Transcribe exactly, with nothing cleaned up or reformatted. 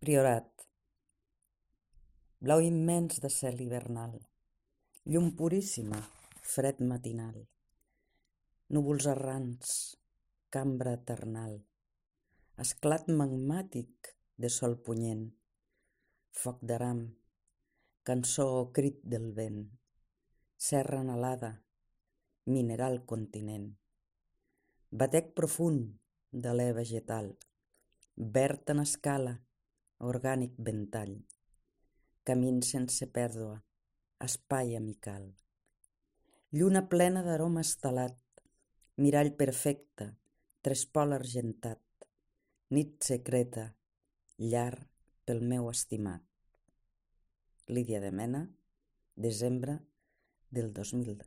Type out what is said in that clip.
Priorat. Blau immens de cel hivernal, llum puríssima, fred matinal, núvols errants, cambra eternal, esclat magmàtic de sol punyent, foc d'aram, cançó o crit del vent, serra anhelada, mineral continent, batec profund d'alè vegetal, verd en escala, orgànic ventall, camins sense pèrdua, espai amical. Lluna plena d'aroma estelat, mirall perfecte, trespol argentat, nit secreta, llar pel meu estimat. Lídia de Mena, desembre del dos mil